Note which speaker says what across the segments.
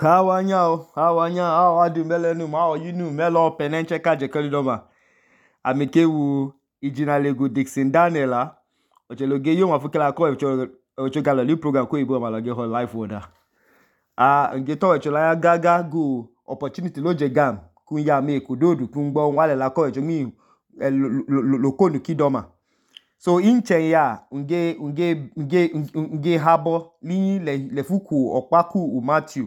Speaker 1: Awanya, awadu melenu, yinu melo penenche kaje kelidoma. Amekewu Ijinalego Dixon Daniela. Ocheloge yo mafukela ko ocho galali program ko ibo malage ho life order. Ngeto ochola ya gaga go opportunity loje gam kunya me kudodu kungbo wale la ko ocho mi lokonu kidoma. So inche ya nge habo li lefuku okpaku Matthew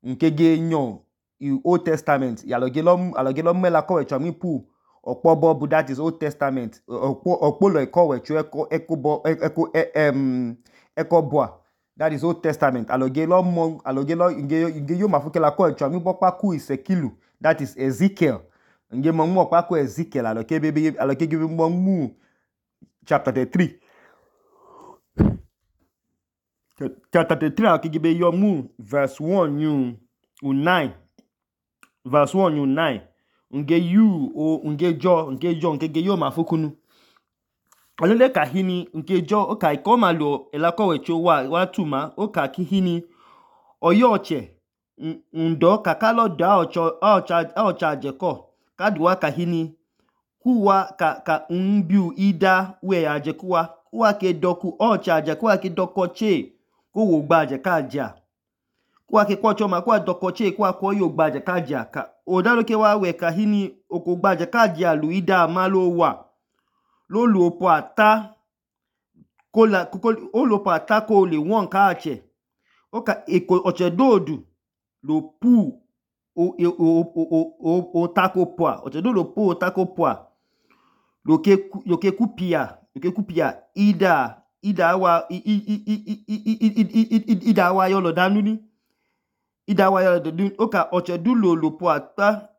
Speaker 1: nkege nyon Old Testament alogelo mela ko wecho mi pu okpobo bu that is Old Testament okpolo eko wecho eko boa that is Old Testament alogelo nge yo mafukela ko wecho mi bokpaku Isekilu that is Ezekiel nge mo okpaku Ezekiel alokege mo chapter 33 chapter 33 alokege yo mu verse 1 yu 9 verse 1 yu 9 nge yo mafukunu alole kahini ngejo oka ikomalo elako wecho wa tuma oka kihini oyoche ndo kakalo da ocha ajeko kaduwa kahini kuwa ka mbiu ida we ajekuwa kuwa ke doku ocha ajekuwa ke dokoche ko wo gba ajekaja kuwa ke kwocho ma kuwa dokoche kuwa ko yo gba ajekaja ka odaloke wa we kahini okogba ajekaja lu ida malo wa lolu opo ata ko le won ka ache oka oche dodu lo pu o tako poa oche dodu lo pu o tako poa loke kupia ida wa yolo danuni ida wa yolo danuni oka oche dulo lo pu ata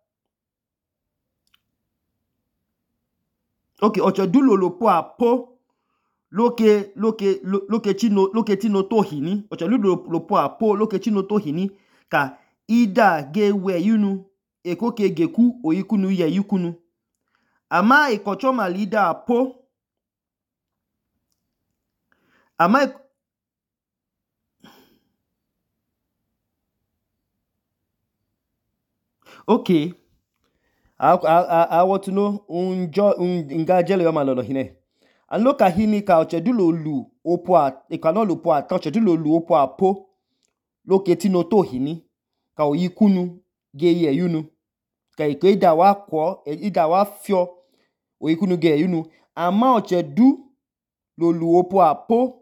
Speaker 1: okay oche dulo lo pu apo loke chino tohini oche dulo lo pu apo loke chino tohini ka ida gewe yunu ekoke geku oyikunu ye yikunu ama ikocho malida apo ama okay I want to know nga jele yo malolo hine aloka hini ka ochedulo lu opwa ikano lu po ata ochedulo lu opwa apo loke tino to hini ka oyikunu ge ye yunu ka iko ida wa fio oyikunu ge yunu ama ochedu lo lu opwa apo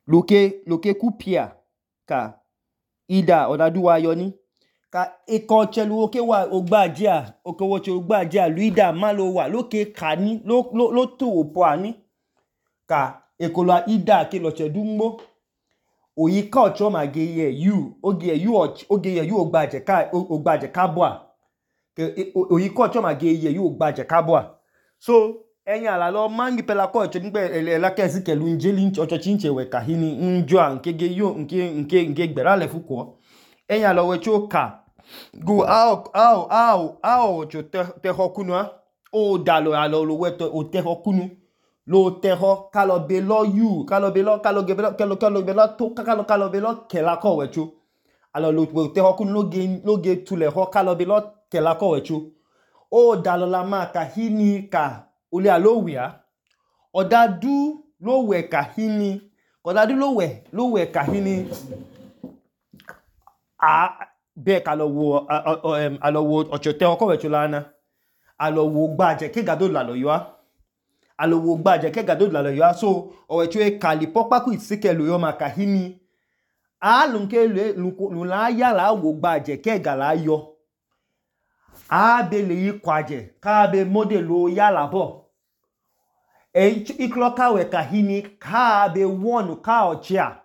Speaker 1: loke kupia ka ida odadu wa yoni ka iko chelu oke wa ogbajia okowoche ogbajia luida malo wa loke kani lo to opo ani ka ekolo ida ke lo chedu mmo oyika ocho ma ge ye yu ogbaje ka boa ke oyika ocho ma ge ye yu ogbaje ka boa so enya la lo mangi pela ko ocho ngbe la ke Ezekiel njeli ocho chinche we kahini njua nkege yo nke gbera le fuko enya lo wecho ka go ocho te hokunu o dalo alo lo weto o te hokunu lo te ho kalo belo kela ko wecho alo lo te hokunu loge tule ho kalo belo kela ko wecho o dalo la ma kahini ka ole alowia odadu lo we kahini odadu lo we kahini be alo wo ochote oko wecho lana alo wo gbaje ke gado la lo yo alo wo gbaje ke gado la lo yo so owecho e kali popaku Isekelu yo makahini alunke lu la ya la wo gbaje ke gala yo be le yi kwaje ka be modelo ya la bo ikloka we kahini ka be wonu ka ochia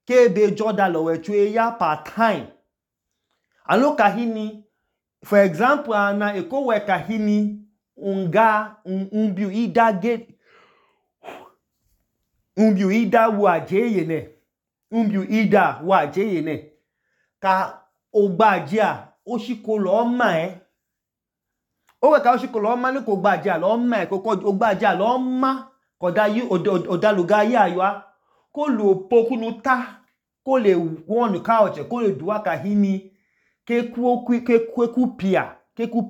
Speaker 1: ke be joda lo wecho ya part time alo kahini for example ana eko we kahini umbiu ida wa jeye ne ka ogbajia oshikolo ma o we ka oshikolo ma ni ko gbajia lo ma ko ogbajia lo ma ko da yi odaluga ya yo ko lu opokunu ta ko le wonu ka oche ko le duwa ka hini keku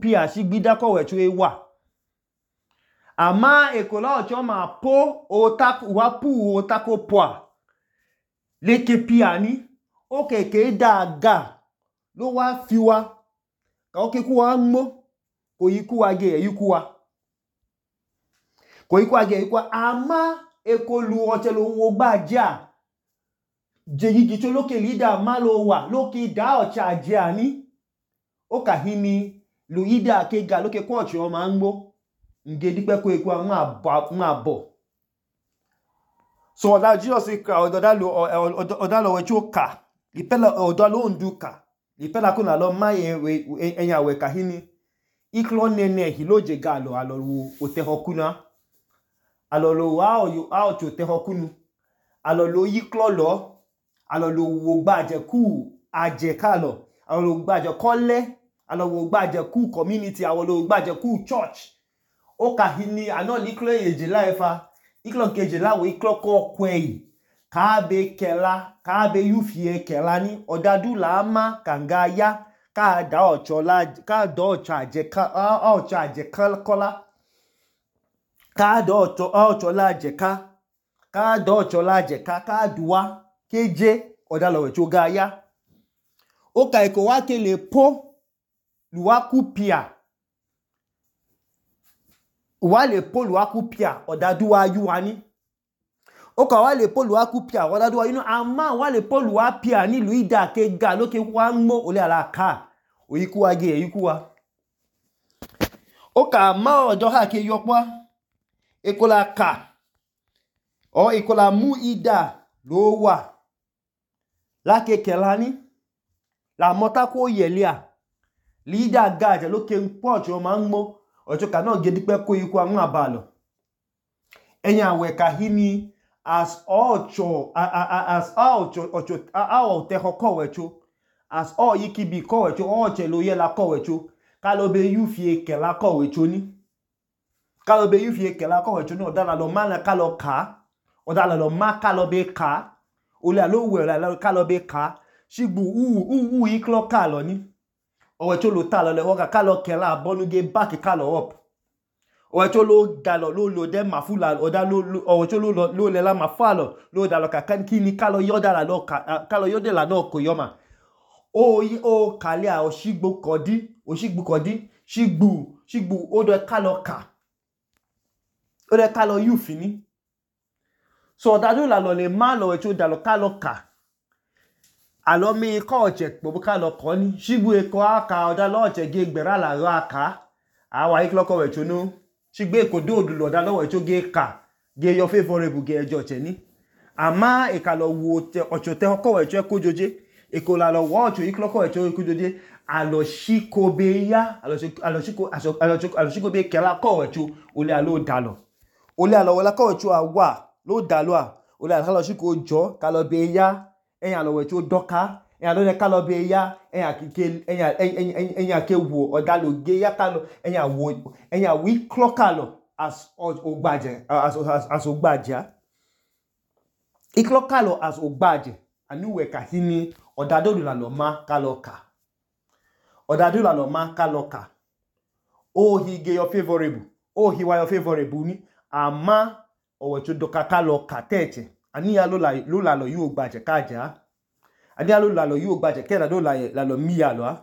Speaker 1: pia shigbida ko wecho ewa ama ekola oche ma po wa pu otako poa leke pia ni okeke daga ló wá fi wa ka okeku wa nmo kò yiku wa ge eyuku wa ama ekolu oche lo wo gbaja jeyigi to loke leader ma lo wa loke da oche aje ani o ka hini lu leader ke ga loke ko oche o ma nmo nge dipe ko eku ma bo so oda Jesus ka oda lo wecho ka ipela oda lo nduka ipela ko na lo ma enya we ka hini iklo nene hiloje ga lo alo otehokuna alo lo wa ocho tehokunu alo lo yiklo lo alo lo wo gbaje ku aje ka lo alo lo gbaje kole alo wo gbaje ku community alo lo gbaje ku church o ka hini ano liklo eje laifa iklo keje lawo iklo ko kwei ka be yufie kela ni odadu la ma kanga ya ka da ochola ka do ochaje ka ochaje kola ka do ochola je ka do ochola je ka duwa keje odalo we cho ga ya o ka eko wa ke le po luwa ku pia wa le po luwa ku pia odadu wa yu ani o ka wa le po luwa ku pia odadu wa yu ama wa le po luwa pia ni luida ke ga loke wa nmo ole ala ka oyiku wa ge eyiku wa o ka ma ojo ha ke yopa ekola ka o ekola mu ida lo wa la ke kelani la mota ko yelia leader ga je loke npo ojo ma nmo ojo ka na ge dipe ko yiku wa ma ba lo enya we ka hini as ocho te hoko wecho as all yikibi ko wecho oche lo ye la ko wecho ka lo be yufie ke la ko wecho ni ka lo be yufie ke la ko wecho ni odala lo ma na ka lo ka odala lo ma ka lo be ka ole alo we la ka lo be ka shigbu iklo ka lo ni owecho lo ta lo le wo ka lo ke la bonu ge back ka lo up owecho lo da lo de mafula oda lo owecho lo le la mafalo lo da lo ka kan kini ka lo yoda la lo ka lo yode la no ko yoma o kalia o shigbu kodi shigbu o de ka lo ka o de ka lo yufini so odadu la lo le ma lo wecho da lo ka lo ka alo mi ko oche po ka lo ko ni shigbu eko aka oda lo oche ge gbera la ro aka awa iklo ko wecho no shigbe eko do odu lo da lo wecho ge ka ge your favorable ge ejo che ni ama e ka lo wo ocho te ko wecho ko joje eko la lo wo ocho iklo ko wecho ko joje alo shiko be ya alo shiko be kela ko wecho ole alo dalo ole alo wala ko wecho awa lo dalo a ole alo shiko jo ka lo be ya enya lo wecho doka enya lo ne ka lo be ya enya ke wo odalo ge ya ka lo enya wi klo ka lo as ogbaje as ogbaja iklo ka lo as ogbaje anu we ka hini odado la lo ma ka lo ka odado la lo ma ka lo ka o hi ge your favorable o hi wa your favorable ni ama owecho doka ka lo ka teche ani ya lo la lo yu ogbaje ka ja ani ya lo la lo yu ogbaje ke na do la lo mi ya lo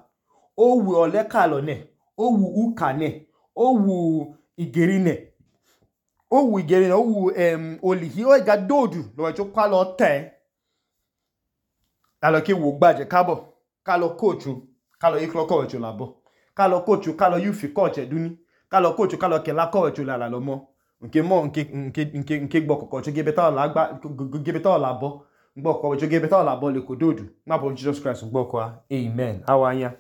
Speaker 1: o wu ole ka lo ne o wu uka ne o wu igeri ne o wu olihi o ga dodu lo wecho kwa lo te la lo ke wu ogbaje kabo ka lo coach ka lo iklo ko wecho labo ka lo coach ka lo yufi coach eduni ka lo coach ka lo ke la ko wecho la lo mo nke gbo kokko cho gebe ta la gba gebe ta la bo gbo ko cho gebe ta la bo le ko dodu ma bo Jesus Christ gbo ko amen awanya